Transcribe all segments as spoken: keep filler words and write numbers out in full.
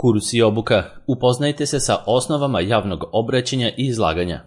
Kurs i obuka. Upoznajte se sa osnovama javnog obraćanja i izlaganja.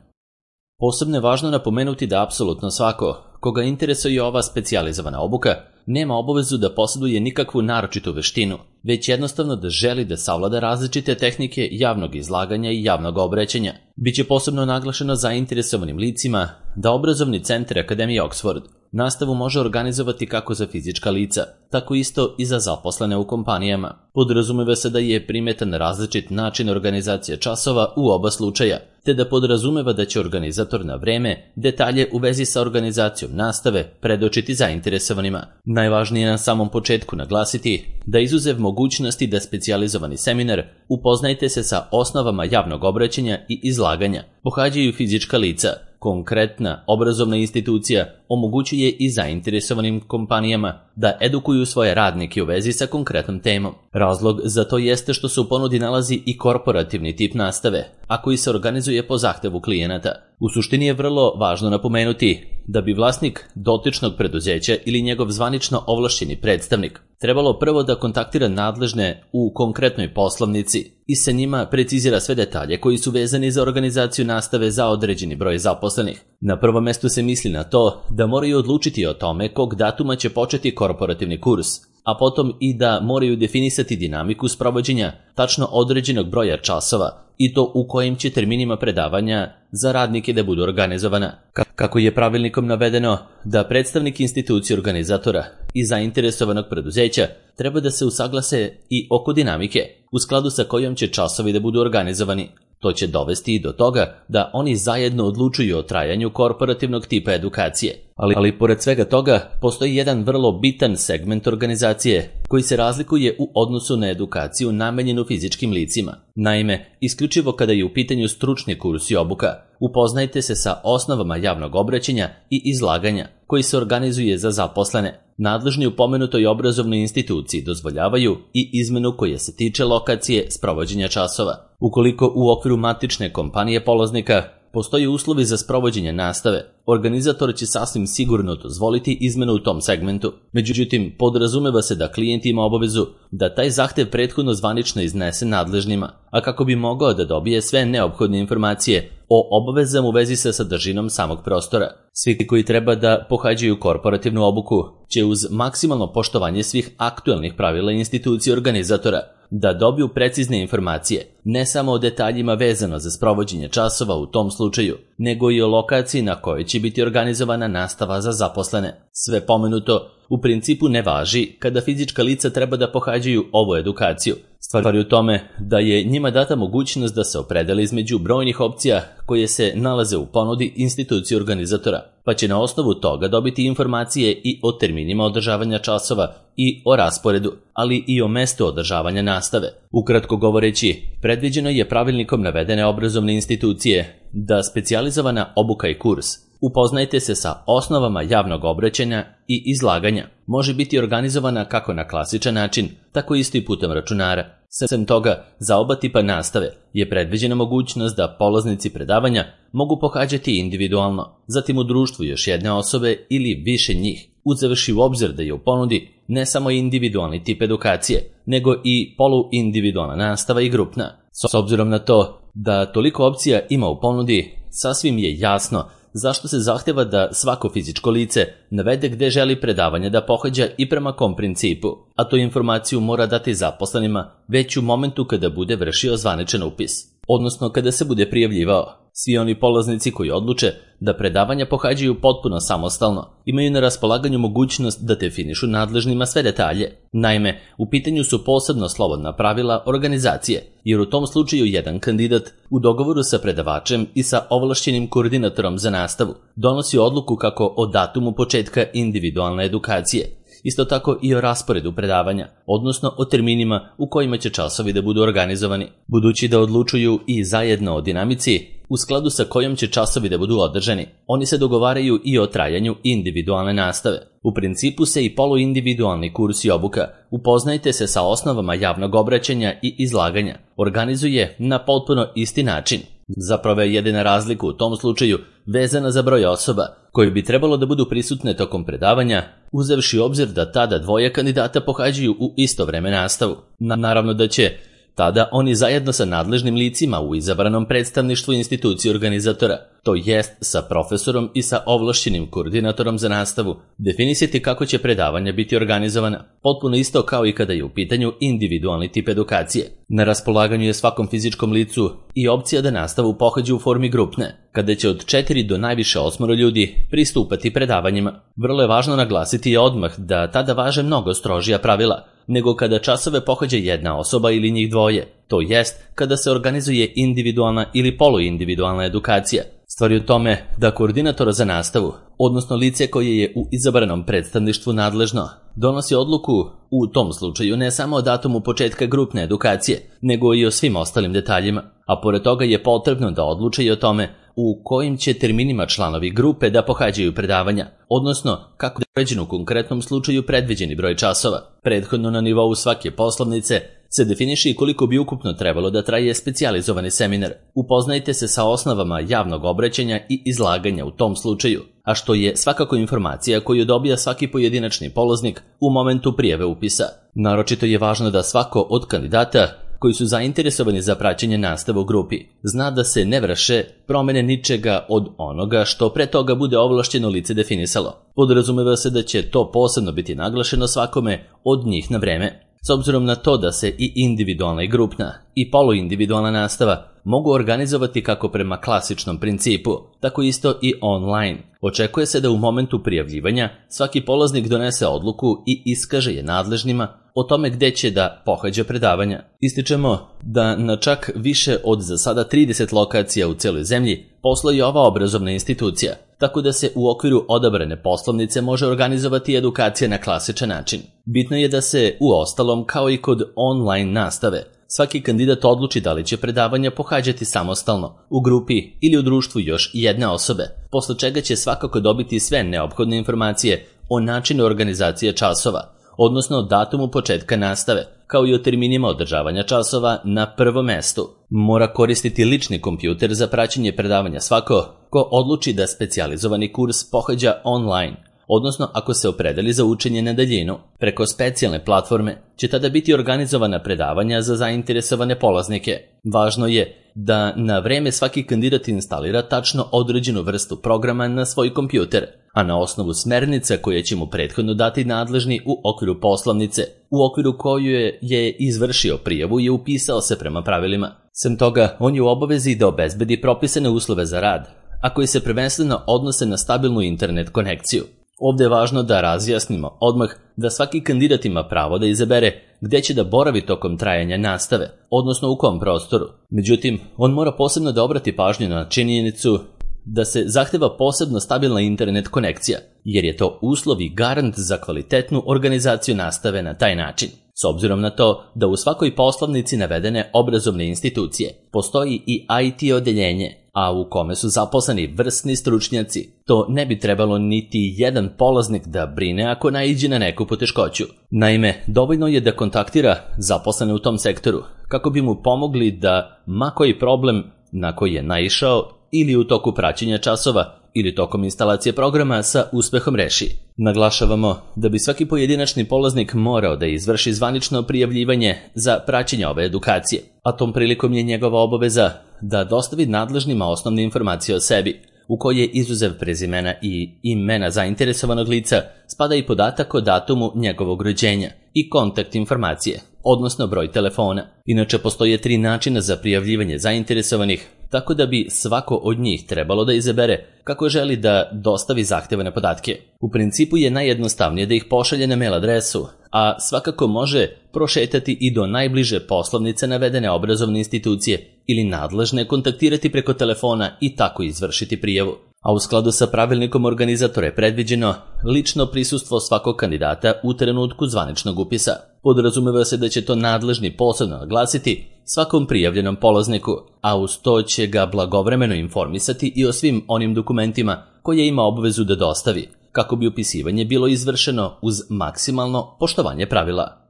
Posebno je važno napomenuti da apsolutno svako, koga interesuje ova specijalizovana obuka, nema obavezu da posjeduje nikakvu naročitu veštinu, već jednostavno da želi da savlada različite tehnike javnog izlaganja i javnog obraćanja. Biće posebno naglašeno zainteresovanim licima da obrazovni centar Akademije Oxford nastavu može organizovati kako za fizička lica, tako isto i za zaposlene u kompanijama. Podrazumeva se da je primetan različit način organizacije časova u oba slučaja, te da podrazumeva da će organizator na vreme detalje u vezi sa organizacijom nastave predočiti zainteresovanima. Najvažnije je na samom početku naglasiti da izuzev mogućnosti da specijalizovani seminar Upoznajte se sa osnovama javnog obraćanja i izlaganja pohađaju fizička lica. Konkretna obrazovna institucija omogućuje i zainteresovanim kompanijama da edukuju svoje radnike u vezi sa konkretnom temom. Razlog za to jeste što se u ponudi nalazi i korporativni tip nastave, a koji se organizuje po zahtevu klijenata. U suštini je vrlo važno napomenuti da bi vlasnik dotičnog preduzeća ili njegov zvanično ovlašćeni predstavnik trebalo prvo da kontaktira nadležne u konkretnoj poslovnici i sa njima precizira sve detalje koji su vezani za organizaciju nastave za određeni broj zaposlenih. Na prvom mestu se misli na to da moraju odlučiti o tome kog datuma će početi korporativni kurs, a potom i da moraju definisati dinamiku sprovođenja tačno određenog broja časova i to u kojim će terminima predavanja za radnike da budu organizovana. Kako je pravilnikom navedeno da predstavnik institucije organizatora i zainteresovanog preduzeća treba da se usaglase i oko dinamike u skladu sa kojom će časovi da budu organizovani. To će dovesti i do toga da oni zajedno odlučuju o trajanju korporativnog tipa edukacije. Ali, ali pored svega toga, postoji jedan vrlo bitan segment organizacije koji se razlikuje u odnosu na edukaciju namenjenu fizičkim licima. Naime, isključivo kada je u pitanju stručni kurs i obuka, upoznajte se sa osnovama javnog obraćanja i izlaganja koji se organizuje za zaposlene. Nadležni u pomenutoj obrazovnoj instituciji dozvoljavaju i izmenu koja se tiče lokacije sprovođenja časova. Ukoliko u okviru matične kompanije polaznika postoji uslovi za sprovođenje nastave, organizator će sasvim sigurno dozvoliti izmenu u tom segmentu. Međutim, podrazumeva se da klijent ima obavezu da taj zahtev prethodno zvanično iznese nadležnima, a kako bi mogao da dobije sve neophodne informacije o obavezama u vezi sa sadržinom samog prostora. Svi koji treba da pohađaju korporativnu obuku će uz maksimalno poštovanje svih aktuelnih pravila institucije organizatora da dobiju precizne informacije, ne samo o detaljima vezano za sprovođenje časova u tom slučaju, nego i o lokaciji na kojoj će biti organizovana nastava za zaposlene. Sve pomenuto u principu ne važi kada fizička lica treba da pohađaju ovu edukaciju. Stvar je u tome da je njima data mogućnost da se opredele između brojnih opcija koje se nalaze u ponudi institucije organizatora, pa će na osnovu toga dobiti informacije i o terminima održavanja časova i o rasporedu, ali i o mestu održavanja nastave. Ukratko govoreći, predviđeno je pravilnikom navedene obrazovne institucije da specijalizovana obuka i kurs Upoznajte se sa osnovama javnog obraćanja i izlaganja može biti organizovana kako na klasičan način, tako isto i putem računara. Sem toga, za oba tipa nastave je predviđena mogućnost da polaznici predavanja mogu pohađati individualno, zatim u društvu još jedne osobe ili više njih, uzevši u obzir da je u ponudi ne samo individualni tip edukacije, nego i poluindividualna nastava i grupna. S obzirom na to da toliko opcija ima u ponudi, sasvim je jasno zašto se zahteva da svako fizičko lice navede gde želi predavanje da pohađa i prema kom principu, a tu informaciju mora dati zaposlenima već u momentu kada bude vršio zvaničan upis, odnosno kada se bude prijavljivao. Svi oni polaznici koji odluče da predavanja pohađaju potpuno samostalno imaju na raspolaganju mogućnost da definišu nadležnima sve detalje. Naime, u pitanju su posebno slobodna pravila organizacije, jer u tom slučaju jedan kandidat u dogovoru sa predavačem i sa ovlašćenim koordinatorom za nastavu donosi odluku kako o datumu početka individualne edukacije, isto tako i o rasporedu predavanja, odnosno o terminima u kojima će časovi da budu organizovani. Budući da odlučuju i zajedno o dinamici u skladu sa kojom će časovi da budu održani, oni se dogovaraju i o trajanju individualne nastave. U principu se i poluindividualni kurs i obuka Upoznajte se sa osnovama javnog obraćanja i izlaganja organizuje na potpuno isti način. Zapravo je jedina razlika u tom slučaju vezana za broj osoba koji bi trebalo da budu prisutne tokom predavanja, uzevši obzir da tada dvoje kandidata pohađaju u isto vreme nastavu. Naravno da će Tada oni zajedno sa nadležnim licima u izabranom predstavništvu institucije organizatora, to jest sa profesorom i sa ovlašćenim koordinatorom za nastavu, definisati kako će predavanja biti organizovana, potpuno isto kao i kada je u pitanju individualni tip edukacije. Na raspolaganju je svakom fizičkom licu i opcija da nastavu pohađe u formi grupne, kada će od četiri do najviše osmoro ljudi pristupati predavanjima. Vrlo je važno naglasiti i odmah da tada važe mnogo strožija pravila nego kada časove pohađa jedna osoba ili njih dvoje, to jest kada se organizuje individualna ili poluindividualna edukacija. Stvar je u tome da koordinator za nastavu, odnosno lice koje je u izabranom predstavništvu nadležno, donosi odluku u tom slučaju ne samo o datumu početka grupne edukacije, nego i o svim ostalim detaljima, a pored toga je potrebno da odluče i o tome u kojim će terminima članovi grupe da pohađaju predavanja, odnosno kako je uređen u konkretnom slučaju predviđeni broj časova. Prethodno na nivou svake poslovnice se definiše i koliko bi ukupno trebalo da traje specijalizovani seminar. Upoznajte se sa osnovama javnog obraćanja i izlaganja u tom slučaju, a što je svakako informacija koju dobija svaki pojedinačni polaznik u momentu prijave upisa. Naročito je važno da svako od kandidata koji su zainteresovani za praćenje nastave u grupi zna da se ne vrše promene ničega od onoga što pre toga bude ovlašćeno lice definisalo. Podrazumeva se da će to posebno biti naglašeno svakome od njih na vreme. S obzirom na to da se i individualna i grupna i poluindividualna nastava mogu organizovati kako prema klasičnom principu, tako isto i online. Očekuje se da u momentu prijavljivanja svaki polaznik donese odluku i iskaže je nadležnima o tome gde će da pohađa predavanja. Ističemo da na čak više od za sada trideset lokacija u celoj zemlji postoji ova obrazovna institucija, tako da se u okviru odabrane poslovnice može organizovati edukacija na klasičan način. Bitno je da se u ostalom, kao i kod online nastave, svaki kandidat odluči da li će predavanja pohađati samostalno, u grupi ili u društvu još jedne osobe, posle čega će svakako dobiti sve neophodne informacije o načinu organizacije časova, odnosno datumu početka nastave, kao i o terminima održavanja časova na prvom mestu. Mora koristiti lični kompjuter za praćenje predavanja svako ko odluči da specijalizovani kurs pohađa online, odnosno ako se opredeli za učenje na daljinu. Preko specijalne platforme će tada biti organizovana predavanja za zainteresovane polaznike. Važno je da na vreme svaki kandidat instalira tačno određenu vrstu programa na svoj kompjuter, a na osnovu smernica koje će mu prethodno dati nadležni u okviru poslovnice, u okviru koju je, je izvršio prijavu i upisao se prema pravilima. Sem toga, on je u obavezi da obezbedi propisane uslove za rad, a koji se prvenstveno odnose na stabilnu internet konekciju. Ovde je važno da razjasnimo odmah da svaki kandidat ima pravo da izabere gde će da boravi tokom trajanja nastave, odnosno u kom prostoru. Međutim, on mora posebno da obrati pažnju na činjenicu da se zahteva posebno stabilna internet konekcija, jer je to uslov i garant za kvalitetnu organizaciju nastave na taj način. S obzirom na to da u svakoj poslovnici navedene obrazovne institucije postoji i I T odeljenje, a u kome su zaposleni vrsni stručnjaci, to ne bi trebalo niti jedan polaznik da brine ako naiđe na neku poteškoću. Naime, dovoljno je da kontaktira zaposlene u tom sektoru kako bi mu pomogli da ma koji problem na koji je naišao ili u toku praćenja časova ili tokom instalacije programa sa uspehom reši. Naglašavamo da bi svaki pojedinačni polaznik morao da izvrši zvanično prijavljivanje za praćenje ove edukacije, a tom prilikom je njegova obaveza da dostavi nadležnima osnovne informacije o sebi, u koje izuzev prezimena i imena zainteresovanog lica spada i podatak o datumu njegovog rođenja i kontakt informacije, odnosno broj telefona. Inače, postoje tri načina za prijavljivanje zainteresovanih, tako da bi svako od njih trebalo da izabere kako želi da dostavi zahtevane podatke. U principu je najjednostavnije da ih pošalje na mail adresu, a svakako može prošetati i do najbliže poslovnice navedene obrazovne institucije ili nadležne kontaktirati preko telefona i tako izvršiti prijavu. A u skladu sa pravilnikom organizatora je predviđeno lično prisustvo svakog kandidata u trenutku zvaničnog upisa. Podrazumeva se da će to nadležni posebno naglasiti svakom prijavljenom polazniku, a uz to će ga blagovremeno informisati i o svim onim dokumentima koje ima obvezu da dostavi, kako bi upisivanje bilo izvršeno uz maksimalno poštovanje pravila.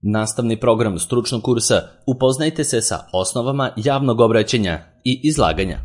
Nastavni program stručnog kursa Upoznajte se sa osnovama javnog obraćanja i izlaganja.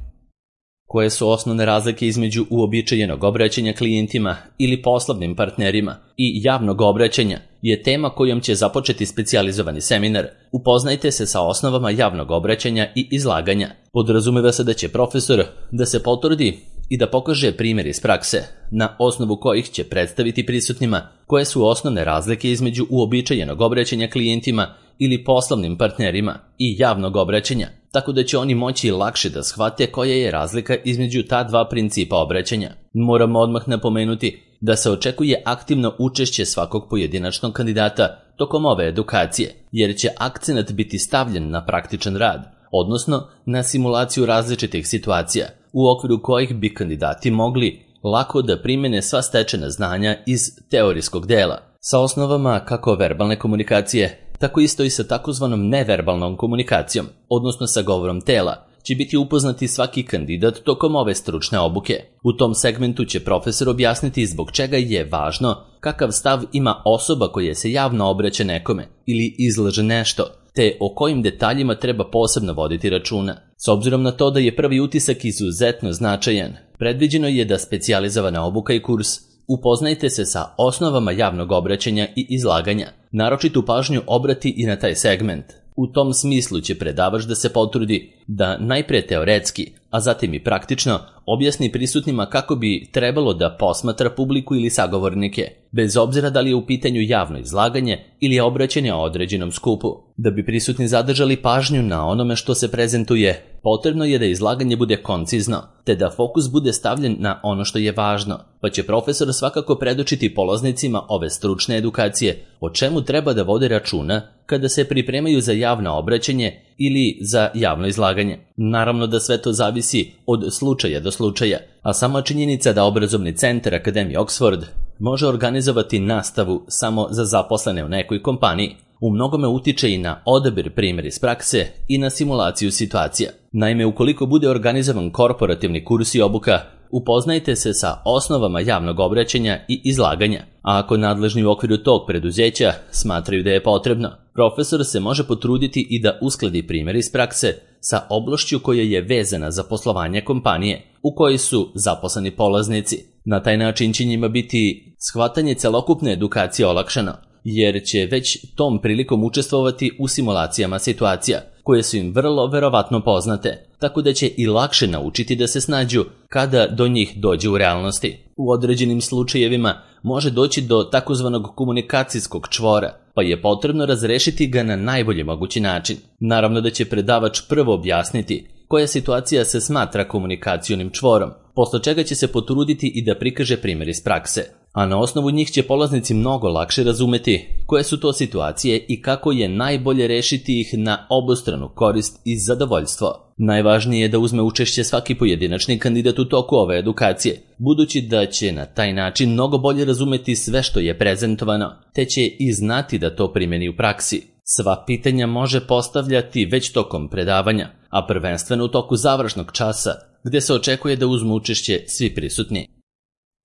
Koje su osnovne razlike između uobičajenog obraćanja klijentima ili poslovnim partnerima i javnog obraćanja je tema kojom će započeti specijalizovani seminar. Upoznajte se sa osnovama javnog obraćanja i izlaganja. Podrazumeva se da će profesor da se potvrdi i da pokaže primjer iz prakse, na osnovu kojih će predstaviti prisutnima koje su osnovne razlike između uobičajenog obraćanja klijentima ili poslovnim partnerima i javnog obraćanja, tako da će oni moći lakše da shvate koja je razlika između ta dva principa obraćanja. Moramo odmah napomenuti da se očekuje aktivno učešće svakog pojedinačnog kandidata tokom ove edukacije, jer će akcenat biti stavljen na praktičan rad, odnosno na simulaciju različitih situacija, u okviru kojih bi kandidati mogli lako da primene sva stečena znanja iz teorijskog dela, sa osnovama kako verbalne komunikacije, tako isto i sa takozvanom neverbalnom komunikacijom, odnosno sa govorom tela, će biti upoznati svaki kandidat tokom ove stručne obuke. U tom segmentu će profesor objasniti zbog čega je važno kakav stav ima osoba koja se javno obraća nekome ili izlaže nešto, te o kojim detaljima treba posebno voditi računa. S obzirom na to da je prvi utisak izuzetno značajan, predviđeno je da specijalizovana obuka i kurs upoznajte se sa osnovama javnog obraćanja i izlaganja. Naročitu pažnju obrati i na taj segment. U tom smislu će predavač da se potrudi da najpre teoretski, a zatim i praktično objasni prisutnima kako bi trebalo da posmatra publiku ili sagovornike, bez obzira da li je u pitanju javno izlaganje ili je obraćanje o određenom skupu. Da bi prisutni zadržali pažnju na onome što se prezentuje, potrebno je da izlaganje bude koncizno, te da fokus bude stavljen na ono što je važno, pa će profesor svakako predočiti polaznicima ove stručne edukacije o čemu treba da vode računa kada se pripremaju za javno obraćanje ili za javno izlaganje. Naravno da sve to zavisi od slučaja do slučaja, a sama činjenica da obrazovni centar Akademije Oxford može organizovati nastavu samo za zaposlene u nekoj kompaniji u mnogome utiče i na odabir primjera iz prakse i na simulaciju situacija. Naime, ukoliko bude organizovan korporativni kurs i obuka, upoznajte se sa osnovama javnog obraćanja i izlaganja, a ako nadležni u okviru tog preduzeća smatraju da je potrebno, profesor se može potruditi i da uskladi primjer iz prakse sa oblašću koja je vezana za poslovanje kompanije u kojoj su zaposleni polaznici. Na taj način će njima biti shvatanje celokupne edukacije olakšano, jer će već tom prilikom učestvovati u simulacijama situacija, koje su im vrlo verovatno poznate, tako da će i lakše naučiti da se snađu kada do njih dođe u realnosti. U određenim slučajevima može doći do takozvanog komunikacijskog čvora, pa je potrebno razrešiti ga na najbolji mogući način. Naravno da će predavač prvo objasniti koja situacija se smatra komunikacionim čvorom, posle čega će se potruditi i da prikaže primjer iz prakse, a na osnovu njih će polaznici mnogo lakše razumeti koje su to situacije i kako je najbolje rešiti ih na obostranu korist i zadovoljstvo. Najvažnije je da uzme učešće svaki pojedinačni kandidat u toku ove edukacije, budući da će na taj način mnogo bolje razumeti sve što je prezentovano, te će i znati da to primjeni u praksi. Sva pitanja može postavljati već tokom predavanja, a prvenstveno u toku završnog časa, gde se očekuje da uzmu učešće svi prisutni.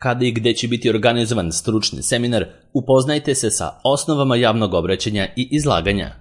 Kada i gde će biti organizovan stručni seminar, upoznajte se sa osnovama javnog obraćanja i izlaganja.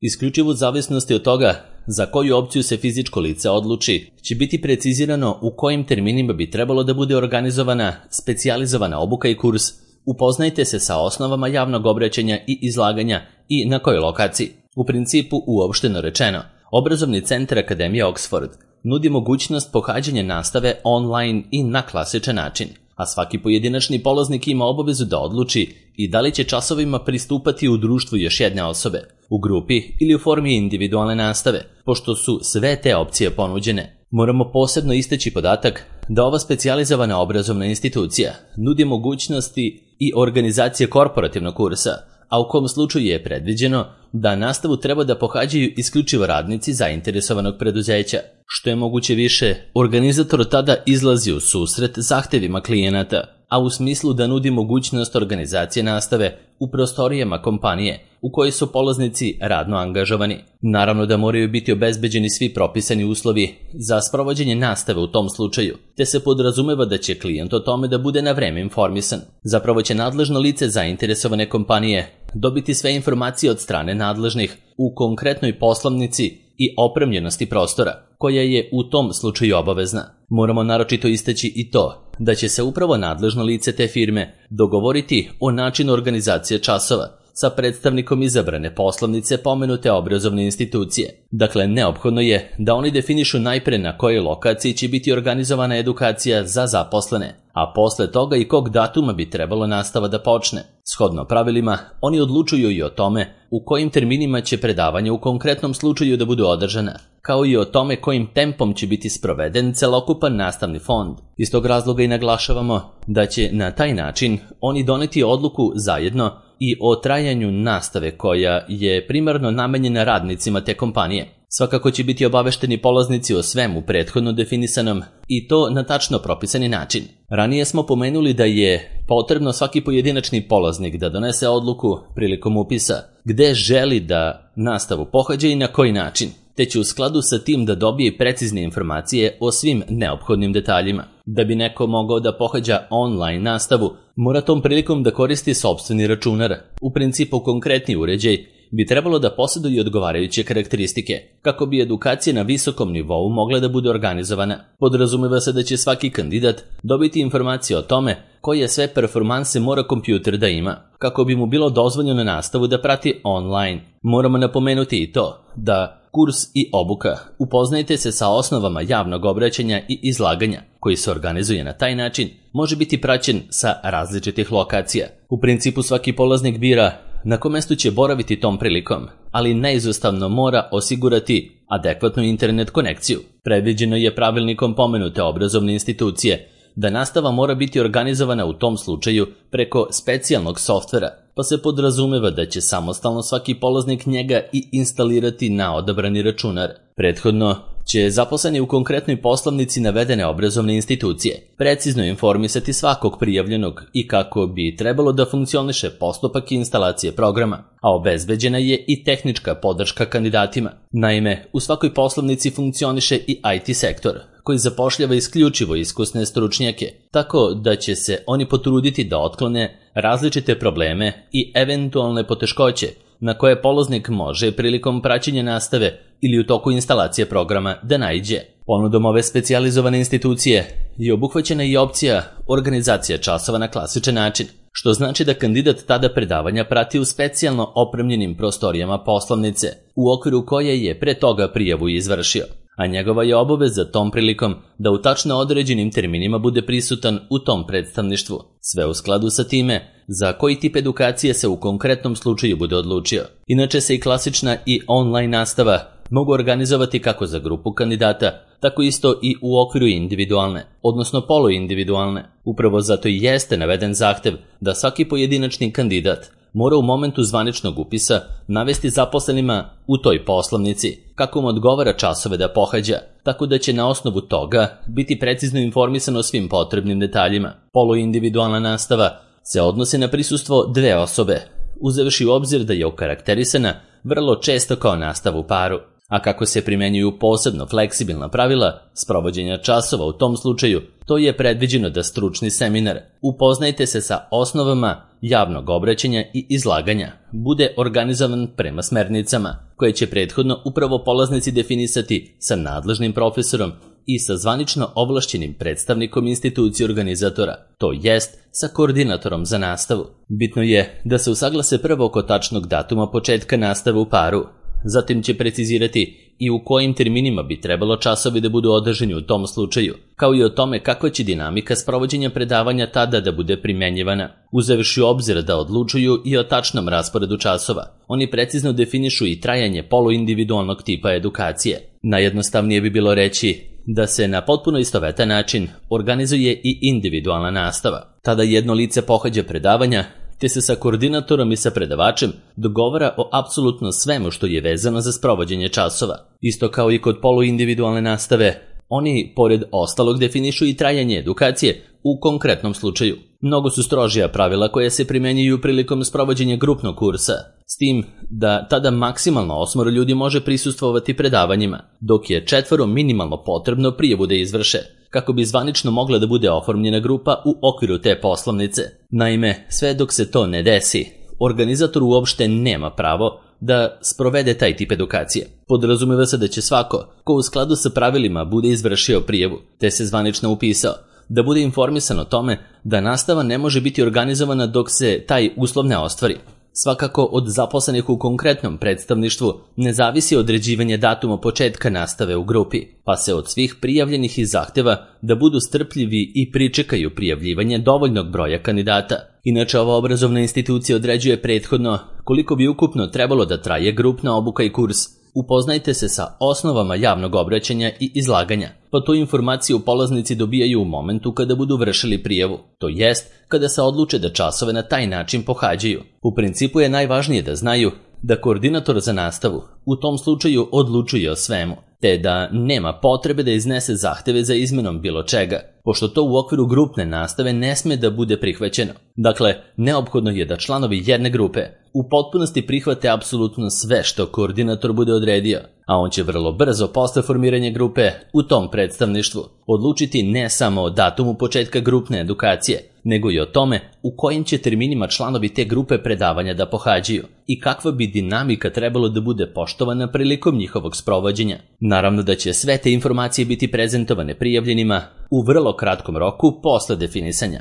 Isključivo u zavisnosti od toga za koju opciju se fizičko lice odluči, će biti precizirano u kojim terminima bi trebalo da bude organizovana specijalizovana obuka i kurs. Upoznajte se sa osnovama javnog obraćanja i izlaganja i na kojoj lokaciji. U principu, uopšteno rečeno, obrazovni centar Akademije Oxford nudi mogućnost pohađanja nastave online i na klasičan način, a svaki pojedinačni polaznik ima obavezu da odluči i da li će časovima pristupati u društvu još jedne osobe, u grupi ili u formi individualne nastave, pošto su sve te opcije ponuđene. Moramo posebno istaći podatak da ova specijalizovana obrazovna institucija nudi mogućnosti i organizacije korporativnog kursa, a u kom slučaju je predviđeno da nastavu treba da pohađaju isključivo radnici zainteresovanog preduzeća. Što je moguće više, organizator tada izlazi u susret zahtevima klijenata, a u smislu da nudi mogućnost organizacije nastave u prostorijama kompanije u kojoj su polaznici radno angažovani. Naravno da moraju biti obezbeđeni svi propisani uslovi za sprovođenje nastave u tom slučaju, te se podrazumeva da će klijent o tome da bude na vreme informisan. Zapravo će nadležno lice zainteresovane kompanije dobiti sve informacije od strane nadležnih u konkretnoj poslovnici i opremljenosti prostora, koja je u tom slučaju obavezna. Moramo naročito istaći i to da će se upravo nadležno lice te firme dogovoriti o načinu organizacije časova sa predstavnikom izabrane poslovnice pomenute obrazovne institucije. Dakle, neophodno je da oni definišu najpre na kojoj lokaciji će biti organizovana edukacija za zaposlene, a posle toga i kog datuma bi trebalo nastava da počne. Shodno pravilima, oni odlučuju i o tome u kojim terminima će predavanja u konkretnom slučaju da budu održana, kao i o tome kojim tempom će biti sproveden celokupan nastavni fond. Iz tog razloga i naglašavamo da će na taj način oni doneti odluku zajedno i o trajanju nastave koja je primarno namenjena radnicima te kompanije. Svakako će biti obavešteni polaznici o svemu prethodno definisanom i to na tačno propisani način. Ranije smo pomenuli da je potrebno svaki pojedinačni polaznik da donese odluku prilikom upisa gde želi da nastavu pohađa i na koji način, te će u skladu sa tim da dobije precizne informacije o svim neophodnim detaljima. Da bi neko mogao da pohađa online nastavu, mora tom prilikom da koristi sopstveni računar. U principu konkretni uređaj bi trebalo da posjeduje odgovarajuće karakteristike, kako bi edukacija na visokom nivou mogla da bude organizovana. Podrazumeva se da će svaki kandidat dobiti informacije o tome koje sve performanse mora kompjuter da ima, kako bi mu bilo dozvoljeno nastavu da prati online. Moramo napomenuti i to da kurs i obuka upoznajte se sa osnovama javnog obraćanja i izlaganja, koji se organizuje na taj način, može biti praćen sa različitih lokacija. U principu svaki polaznik bira na kom mestu će boraviti tom prilikom, ali neizostavno mora osigurati adekvatnu internet konekciju. Predviđeno je pravilnikom pomenute obrazovne institucije da nastava mora biti organizovana u tom slučaju preko specijalnog softvera, pa se podrazumeva da će samostalno svaki polaznik njega i instalirati na odabrani računar. Prethodno će zaposleni u konkretnoj poslovnici navedene obrazovne institucije precizno informisati svakog prijavljenog i kako bi trebalo da funkcioniše postupak instalacije programa, a obezbeđena je i tehnička podrška kandidatima. Naime, u svakoj poslovnici funkcioniše i I T sektor, koji zapošljava isključivo iskusne stručnjake, tako da će se oni potruditi da otklone različite probleme i eventualne poteškoće na koje polaznik može prilikom praćenja nastave ili u toku instalacije programa da naiđe. Ponudom ove specijalizovane institucije je obuhvaćena i opcija organizacija časova na klasičan način, što znači da kandidat tada predavanja prati u specijalno opremljenim prostorijama poslovnice, u okviru koje je pre toga prijavu izvršio, a njegova je obaveza tom prilikom da u tačno određenim terminima bude prisutan u tom predstavništvu, sve u skladu sa time za koji tip edukacije se u konkretnom slučaju bude odlučio. Inače se i klasična i online nastava mogu organizovati kako za grupu kandidata, tako isto i u okviru individualne, odnosno poluindividualne. Upravo zato i jeste naveden zahtev da svaki pojedinačni kandidat mora u momentu zvaničnog upisa navesti zaposlenima u toj poslovnici kako mu odgovara časove da pohađa, tako da će na osnovu toga biti precizno informisan o svim potrebnim detaljima. Poluindividualna nastava se odnosi na prisustvo dve osobe, uzevši u obzir da je okarakterisana vrlo često kao nastava u paru, a kako se primenjuju posebno fleksibilna pravila sprovođenja časova u tom slučaju, to je predviđeno da stručni seminar upoznajte se sa osnovama javnog obraćanja i izlaganja bude organizovan prema smernicama, koje će prethodno upravo polaznici definisati sa nadležnim profesorom i sa zvanično ovlašćenim predstavnikom institucije organizatora, to jest sa koordinatorom za nastavu. Bitno je da se usaglase prvo oko tačnog datuma početka nastave u paru, zatim će precizirati i u kojim terminima bi trebalo časovi da budu održani u tom slučaju, kao i o tome kakva će dinamika sprovođenja predavanja tada da bude primenjivana. Uzevši u obzir da odlučuju i o tačnom rasporedu časova, oni precizno definišu i trajanje poluindividualnog tipa edukacije. Najjednostavnije bi bilo reći da se na potpuno istovetan način organizuje i individualna nastava. Tada jedno lice pohađa predavanja, te se sa koordinatorom i sa predavačem dogovara o apsolutno svemu što je vezano za sprovođenje časova. Isto kao i kod poluindividualne nastave, oni, pored ostalog, definišu i trajanje edukacije u konkretnom slučaju. Mnogo su strožija pravila koja se primenjuju prilikom sprovođenja grupnog kursa, s tim da tada maksimalno osmoro ljudi može prisustvovati predavanjima, dok je četvoro minimalno potrebno prijavu da izvrše, kako bi zvanično mogla da bude oformljena grupa u okviru te poslovnice. Naime, sve dok se to ne desi, organizator uopšte nema pravo da sprovede taj tip edukacije. Podrazumeva se da će svako, ko u skladu sa pravilima bude izvršio prijavu, te se zvanično upisao, da bude informisan o tome da nastava ne može biti organizovana dok se taj uslov ne ostvari. Svakako od zaposlenih u konkretnom predstavništvu ne zavisi određivanje datuma početka nastave u grupi, pa se od svih prijavljenih i zahteva da budu strpljivi i pričekaju prijavljivanje dovoljnog broja kandidata. Inače, ova obrazovna institucija određuje prethodno koliko bi ukupno trebalo da traje grupna obuka i kurs. Upoznajte se sa osnovama javnog obraćanja i izlaganja, pa tu informaciju polaznici dobijaju u momentu kada budu vršili prijavu, to jest kada se odluče da časove na taj način pohađaju. U principu je najvažnije da znaju da koordinator za nastavu u tom slučaju odlučuje o svemu, te da nema potrebe da iznese zahteve za izmenom bilo čega, pošto to u okviru grupne nastave ne sme da bude prihvaćeno. Dakle, neophodno je da članovi jedne grupe u potpunosti prihvate apsolutno sve što koordinator bude odredio, a on će vrlo brzo posle formiranja grupe u tom predstavništvu odlučiti ne samo o datumu početka grupne edukacije, nego i o tome u kojim će terminima članovi te grupe predavanja da pohađaju i kakva bi dinamika trebalo da bude poštovana prilikom njihovog sprovođenja. Naravno da će sve te informacije biti prezentovane prijavljenima u vrlo kratkom roku posle definisanja.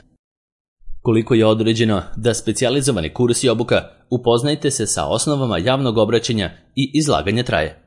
Koliko je određeno da specijalizovani kurs i obuka upoznajte se sa osnovama javnog obraćanja i izlaganja traje.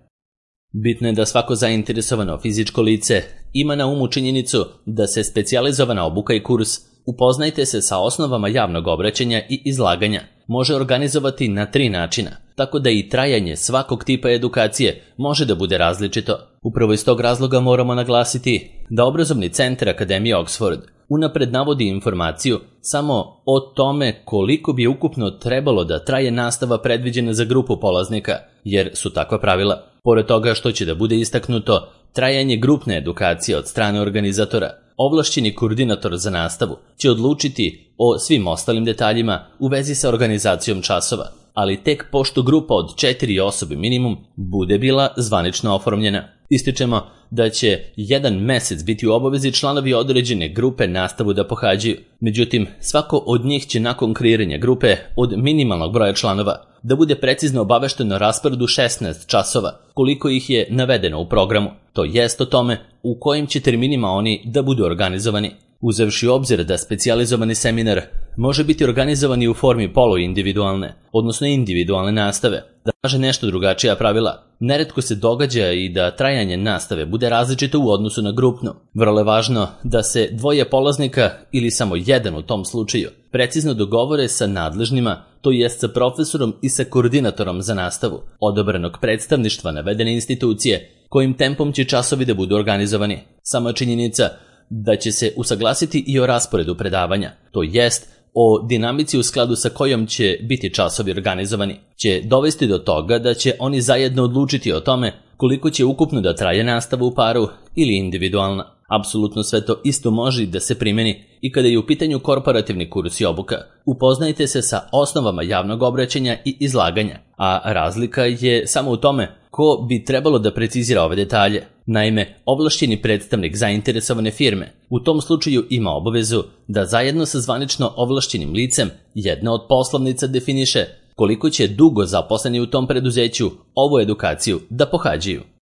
Bitno je da svako zainteresovano fizičko lice ima na umu činjenicu da se specijalizovana obuka i kurs upoznajte se sa osnovama javnog obraćanja i izlaganja može organizovati na tri načina, tako da i trajanje svakog tipa edukacije može da bude različito. Upravo iz tog razloga moramo naglasiti da obrazovni centar Akademije Oxford unapred navodi informaciju samo o tome koliko bi ukupno trebalo da traje nastava predviđena za grupu polaznika, jer su takva pravila. Pored toga što će da bude istaknuto trajanje grupne edukacije od strane organizatora, ovlašćeni koordinator za nastavu će odlučiti o svim ostalim detaljima u vezi sa organizacijom časova, ali tek pošto grupa od četiri osobe minimum bude bila zvanično oformljena. Ističemo da će jedan mesec biti u obavezi članovi određene grupe nastavu da pohađaju. Međutim, svako od njih će nakon kreiranja grupe od minimalnog broja članova da bude precizno obavešteno o rasporedu šesnaest časova, koliko ih je navedeno u programu, to jest o tome u kojim će terminima oni da budu organizovani. Uzevši u obzir da specijalizovani seminar može biti organizovan i u formi poluindividualne, odnosno individualne nastave, da kaže nešto drugačija pravila, neretko se događa i da trajanje nastave bude različito u odnosu na grupnu. Vrlo je važno da se dvoje polaznika ili samo jedan u tom slučaju precizno dogovore sa nadležnima, to jest sa profesorom i sa koordinatorom za nastavu, odobrenog predstavništva navedene institucije, kojim tempom će časovi da budu organizovani. Sama činjenica da će se usaglasiti i o rasporedu predavanja, to jest o dinamici u skladu sa kojom će biti časovi organizovani, će dovesti do toga da će oni zajedno odlučiti o tome koliko će ukupno da traje nastava u paru ili individualna. Apsolutno sve to isto može da se primeni i kada je u pitanju korporativni kurs i obuka. Upoznajte se sa osnovama javnog obraćanja i izlaganja, a razlika je samo u tome ko bi trebalo da precizira ove detalje. Naime, ovlašćeni predstavnik zainteresovane firme u tom slučaju ima obavezu da zajedno sa zvanično ovlašćenim licem jedna od poslovnica definiše koliko će dugo zaposleni u tom preduzeću ovu edukaciju da pohađaju.